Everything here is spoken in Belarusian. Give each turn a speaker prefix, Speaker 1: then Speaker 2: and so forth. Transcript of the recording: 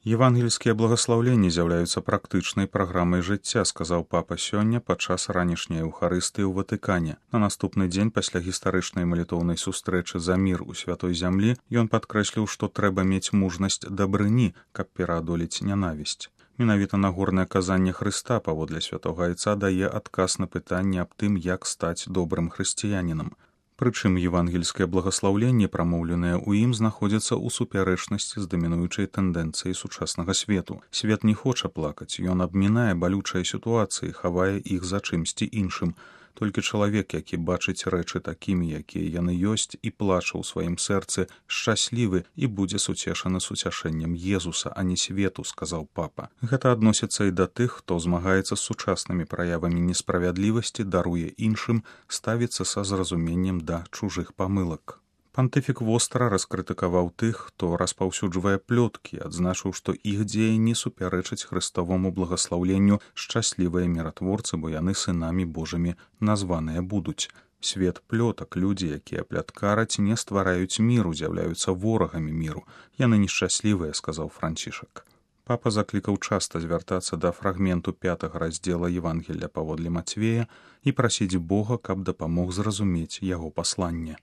Speaker 1: Евангельскія благаслаўленні з'яўляюцца практычнай праграмай жыцця, сказаў папа сёння падчас ранішняй эўхарыстыі ў Ватыкане. На наступны дзень пасля гістарычнай малітоўнай сустрэчы за мір у святой зямлі ён падкрэсліў, што трэба мець мужнасць дабрыні, каб пераадолець нянавісць. Менавіта нагорнае казанне Хрыста паводле святога Айца дае адказ на пытанне аб тым, як стаць добрым хрысціянінам. Прычым евангельскае благаслаўленне, прамоўленае ў ім, знаходзіцца ў супярэчнасці з дамінуючай тэндэнцыяй сучаснага свету. Свет не хоча плакаць, ён абмінае балючыя сітуацыі, хавае іх за чымсьці іншым. Толькі чалавек, які бачыць рэчы такімі, якія яны ёсць, і плача ў сваім сэрцы, шчаслівы і будзе суцешаны суцяшэннем Езуса, а не свету, сказаў папа. Гэта адносіцца і да тых, хто змагаецца з сучаснымі праявамі несправядлівасці, даруе іншым, ставіцца са зразуменнем да чужых памылак. Пантыфік востра раскрытыкаваў тых, хто распаўсюджвае плёткі, адзначыў, што іх дзеянні супярэчаць хрыстоваму благаслаўленню «Шчаслівыя міратворцы, бо яны сынамі Божымі названыя будуць». Свет плётак, людзі, якія пляткараць, не ствараюць міру, з'яўляюцца ворагамі міру. Яны нешчаслівыя, сказаў Францішак. Папа заклікаў часта звяртацца да фрагменту 5 раздзела Евангелля паводле Мацвея і прасіць Бога, каб дапамог зразумець яго пасланне.